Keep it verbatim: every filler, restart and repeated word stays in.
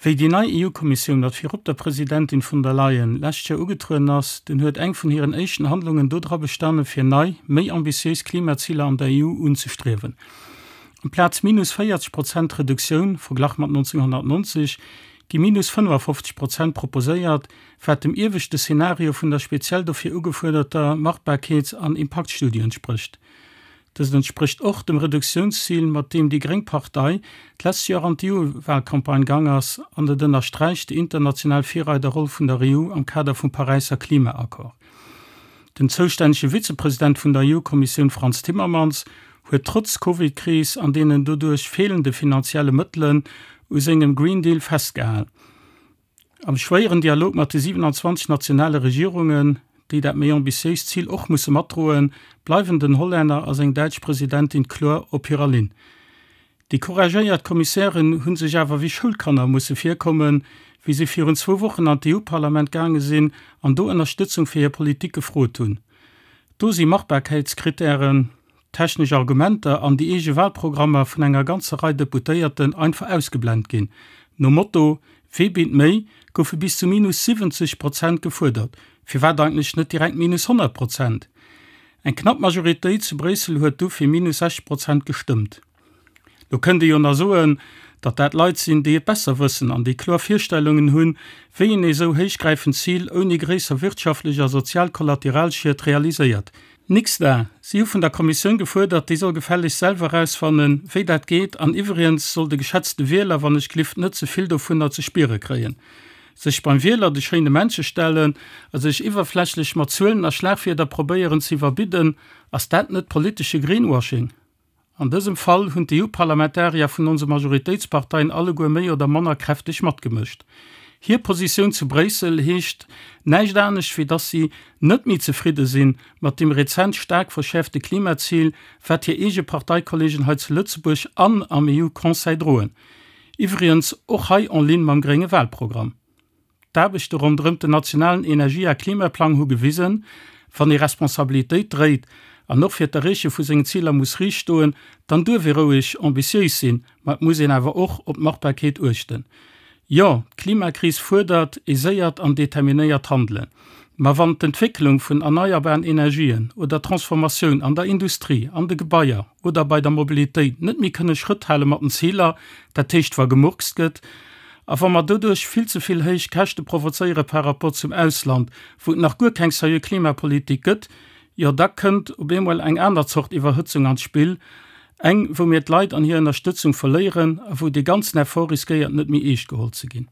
Wéi déi nei E U-Kommissioun mat virop der Presidentin von der Leyen lescht Joer ugetrueden ass, dunn huet eng vun hiren éischten Handlungen dodra bestane fir nei, méi ambitiéis Klimaziler an der E U unzestriewen. Amplaz minus véierzeg Prozent Reduktioun, verglach mat nonzénghonnertnonzeg, gi minus fënnefafofzeg Prozent proposéiert, wat dem ieweschte Szenario vun der speziell dofir ugefuerderter Machbarkeets an Impaktstudie entsprécht. Dëst entsprécht och dem Reduktiounszil, mat deem déi gréng Partei d'lescht Joer an d'E U-Walcampagne gaang ass, an et ënnersträicht déi international Virreiderroll vun der E U am Kader vum Paräisser Klimaaccord. Den zoustännege Vizepresident vun der E U-Kommissioun Frans Timmermans huet trotz Covid-Kris an deenen doduerch feelende finanzielle Mëttelen u sengem Green Deal festgehal. Am schwéieren Dialog mat de siewenanzwanzeg nationale Regierungen, déi dat méi ambitiéist Zil och musse matdroen, bleiwen den Hollänner a seng däitsch Presidentin kloer op hirer Linn. Déi couragéiert Kommissären hu sech awer wéi Schoulkanner musse virkommen, wéi si virun zwou Wochen an d'E U-Parlament gaange sinn an do Ënnerstëtzung fir hir Politik gefrot hunn. Do si Machbarkeitskrittären, technesch Argumenter an déi eege Walprogrammer vun enger ganzer Rei Deputéierten einfach ausgeblent ginn. Nom Motto Wee bitt méi goufe bis zu minus siwwenzeg Prozent gefuerdert. Firwat eigentlech net direkt minus honnert Prozent? Eng knapp Majoritéit zu Bréissel huet du fir minus sechzeg Prozent gestëmmt. Lo kënnt ee jo nach soen, datt dat Leit sinn, déi et besser wëssen an déi kloer Virstellungen hunn, wéi een ee sou héichgräifend Zil ouni gréisser wirtschaftlech a sozial Kollateralschied realiséiert. Nix da! Si hu vun der Kommissioun gefuerdert, déi soll gefällegst selwer erausfannen, wéi dat geet, an iwwregens soll de geschätzte Wieler wann ech glift net ze vill dovunner ze spiere kréien. Sech beim Wieler de schéine Männche stellen a sech iwwerflächlech mat Zuelen a Schlagwierder probéieren ze iwwerbidden, ass dat net politesche Greenwashing? An dësem Fall hunn d'E U-Parlamentarier vun onse Majoritéitsparteien alleguer méi oder manner kräfteg matgemëscht. Hir Positioun zu Bréissel heescht näischt anescht wéi dass si net méi zefridde sinn mat dem rezent staark verschäerfte Klimazil, wat hir eege Parteikollegen hei zu Lëtzebuerg an am E U-Conseil droen. Iwwregens och hei en ligne mam grénge Walprogramm. D'Aarbechte ronderëm den nationalen Energie a Klimaplang hu gewisen, wann ee Responsabilitéit dréit an och fir d'Erreeche vu sengen Ziler muss riicht stoen, dann duerf ee roueg ambitiéis sinn, ma et muss een awer och op d'Machbarkeet uechten. Jo, d'Klimakris fuerdert ee séiert an determinéiert Handelen. Ma wann d'Entwécklung vun erneierbaren Energien oder d'Transformatioun an der Industrie, an de Gebaier oder bei der Mobilitéit net méi kënne Schrëtt hale mat den Ziler, dat heescht wa gemurkst gëtt, a wa mer doduerch vill ze vill héich Käschte provozéiere par rapport zum Ausland, wou et nach guer keng seriö Klimapolitik gëtt, jo da kënnt op eemol eng aner Zort Iwwerhëtzung an d'Spill, eng wou mir d'Leit an hir Ënnerstëtzung verléieren a wou dee ganzen Effort riskéiert net méi eescht geholl ze ginn.